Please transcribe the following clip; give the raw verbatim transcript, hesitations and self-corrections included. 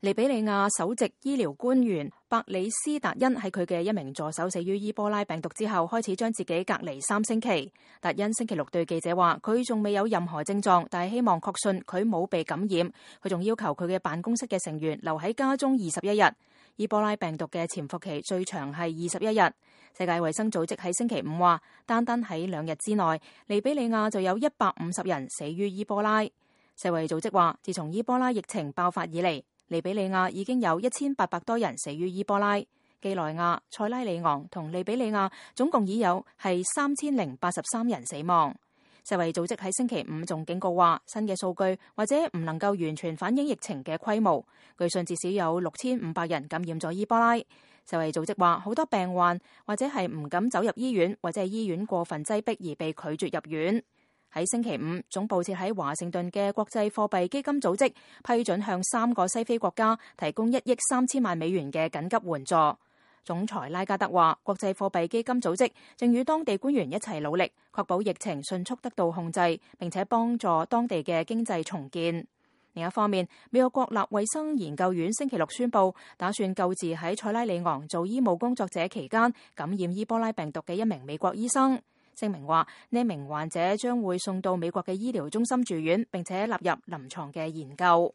利比里亞首席醫療官員伯里斯達恩喺佢嘅一名助手死於伊波拉病毒之後，開始將自己隔離三星期。達恩星期六對記者話，佢仲未有任何症狀，但係希望確信佢冇被感染。佢仲要求佢嘅辦公室嘅成員留喺家中二十一日。伊波拉病毒嘅潛伏期最長係二十一日。世界衛生組織喺星期五話，單單喺兩日之內，利比里亞就有一百五十人死於伊波拉。世衛組織話，自從伊波拉疫情爆發以嚟，利比里亞已經有一千八百多人死於伊波拉。幾內亞、塞拉利昂同利比里亞總共已有係三千零八十三人死亡。世衛組織喺星期五仲警告話，新嘅數據或者唔能夠完全反映疫情嘅規模。據信至少有六千五百人感染咗伊波拉。世衛組織話，好多病患或者係唔敢走入醫院，或者係醫院過分擠迫而被拒絕入院。喺星期五，總部設喺華盛頓嘅國際貨幣基金組織批准向三個西非國家提供一億三千萬美元嘅緊急援助。總裁拉加德話，國際貨幣基金組織正與當地官員一齊努力，確保疫情迅速得到控制，並且幫助當地嘅經濟重建。另一方面，美國國立衛生研究院星期六宣布，打算救治喺塞拉利昂做醫務工作者期間感染伊波拉病毒嘅一名美國醫生。聲明話，呢名患者將會送到美國嘅醫療中心住院，並且納入臨床嘅研究。